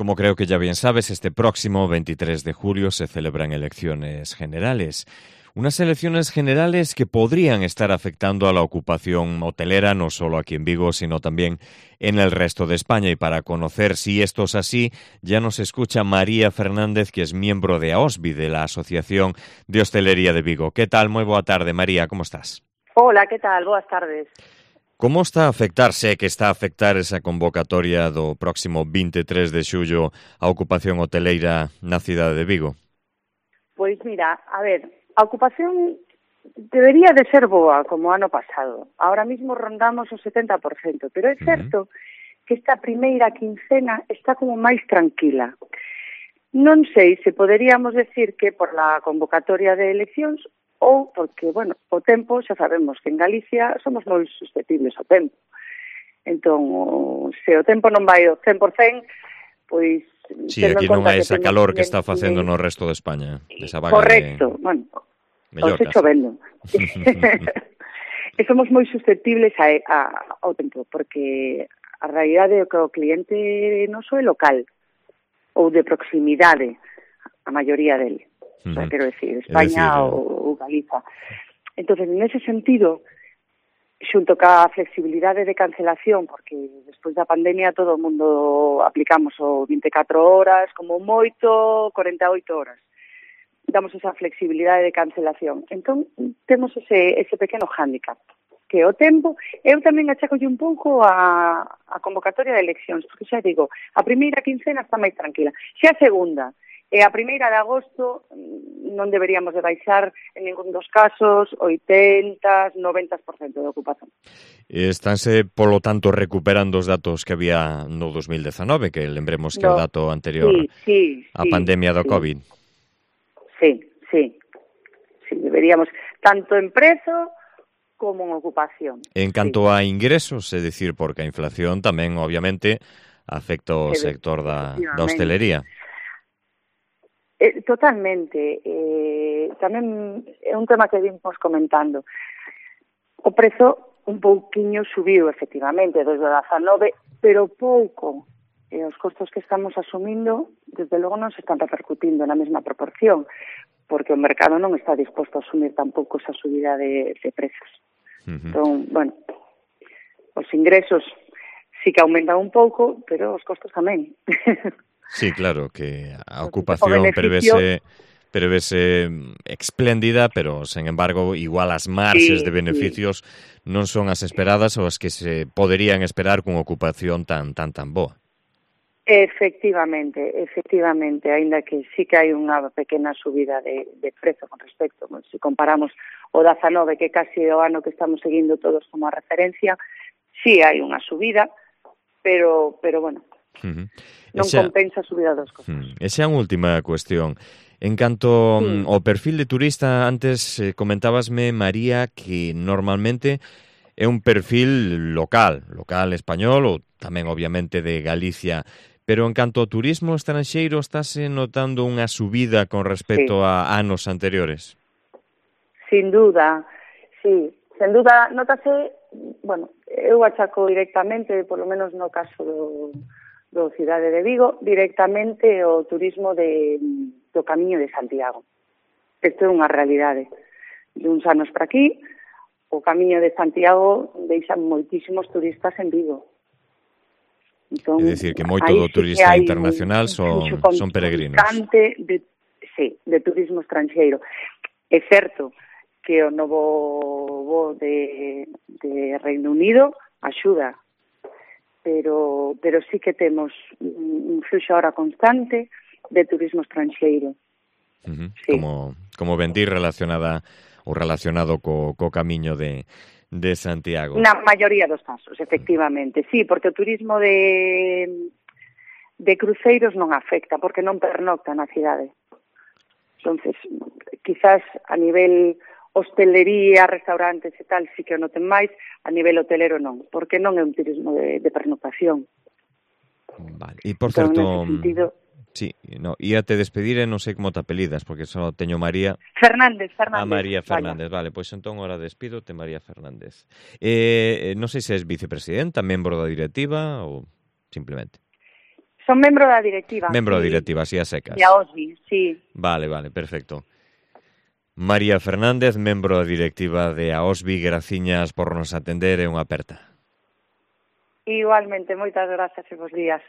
Como creo que ya bien sabes, este próximo 23 de julio se celebran elecciones generales. Unas elecciones generales que podrían estar afectando a la ocupación hotelera, no solo aquí en Vigo, sino también en el resto de España. Y para conocer si esto es así, ya nos escucha María Fernández, que es miembro de AOSVI, de la Asociación de Hostelería de Vigo. ¿Qué tal? Moi boa tarde, María, como estás? Hola, que tal? Boas tardes. Como está a afectarse, que está a afectar esa convocatoria do próximo 23 de xullo a ocupación hoteleira na cidade de Vigo? Pois mira, a ver, a ocupación debería de ser boa, como ano pasado. Ahora mismo rondamos o 70%, pero é certo que esta primeira quincena está como máis tranquila. Non sei se poderíamos decir que por la convocatoria de eleccións ou porque, bueno, o tempo, xa sabemos que en Galicia somos moi susceptibles ao tempo. Entón, se o tempo non vai ao 100%, pois... Sí, aquí non hai esa calor que está facendo no resto de España. Esa vaga correcto, bueno, os chovendo. E somos moi susceptibles ao tempo, porque a realidade é que o cliente noso é local, ou de proximidade, a maioría dele. O sea, quero decir, España ou Galiza. Entonces, nese sentido, xunto ca flexibilidade de cancelación, porque despois da pandemia todo o mundo aplicamos o 24 horas, como moito 48 horas. Damos esa flexibilidade de cancelación. Entón, temos ese pequeno hándicap, que o tempo, eu tamén achacolle un pouco a convocatoria de eleccións, porque xa digo, a primeira quincena está máis tranquila. Xa a segunda, e a primeira de agosto non deberíamos de baixar en ningún dos casos 80, 90% de ocupación. Estánse, polo tanto, recuperando os datos que había no 2019, que lembremos que é o dato anterior á pandemia do COVID. Sí, deberíamos, tanto en prezo como en ocupación. En canto a ingresos, é dicir, porque a inflación tamén, obviamente, afecta o sector da hostelería. Totalmente. Tamén é un tema que vimos comentando. O prezo un pouquiño subiu, efectivamente, desde o 19, pero pouco. Os costos que estamos asumindo, desde logo, non se están repercutindo na mesma proporción, porque o mercado non está disposto a asumir tampouco esa subida de prezos. Entón, bueno, os ingresos sí que aumentan un pouco, pero os costos tamén. Sí, claro, que a ocupación prevese espléndida, pero, sen embargo, igual as marxes de beneficios non son as esperadas ou as que se poderían esperar cunha ocupación tan boa. Efectivamente, aínda que sí que hai unha pequena subida de prezo con respecto, se comparamos o 19, que casi o ano que estamos seguindo todos como a referencia, sí hai unha subida, pero bueno, non compensa a subida dos costos. Esa é unha última cuestión. En canto ao perfil de turista, antes comentábasme, María, que normalmente é un perfil local español ou tamén, obviamente, de Galicia. Pero en canto ao turismo estranxeiro, estáse notando unha subida con respecto a anos anteriores? Sin duda, sí. Sen duda, notase, bueno, eu achaco directamente, polo menos no caso do cidade de Vigo, directamente o turismo do Camiño de Santiago. Isto é unha realidade. De uns anos para aquí, o Camiño de Santiago deixa moitísimos turistas en Vigo. Entón, é dicir, que moito do turista internacional son peregrinos. De turismo estranxeiro. É certo que o novo voo de Reino Unido axuda, pero sí que temos un fluxo ahora constante de turismo estranxeiro. Como bendir relacionado co Camiño de Santiago. Na maioría dos casos, efectivamente. Sí, porque o turismo de cruceiros non afecta, porque non pernocta na cidade. Entonces, quizás a nivel hostelería, restaurantes e tal, sí que o noten máis, a nivel hotelero non, porque non é un turismo de pernoctación. Vale, e por certo... Nese sentido... Sí, no, íate despedir e non sei como te apelidas, porque só teño María... Fernández. María Fernández, vale, pois entón ahora despídote, María Fernández. Non sei se és vicepresidenta, membro da directiva ou simplemente... Son membro da directiva. Membro da directiva, así a secas. E a OSBI, sí. Vale, perfecto. María Fernández, membro da directiva de AOSBI, graciñas por nos atender e unha aperta. Igualmente, moitas grazas e bos días.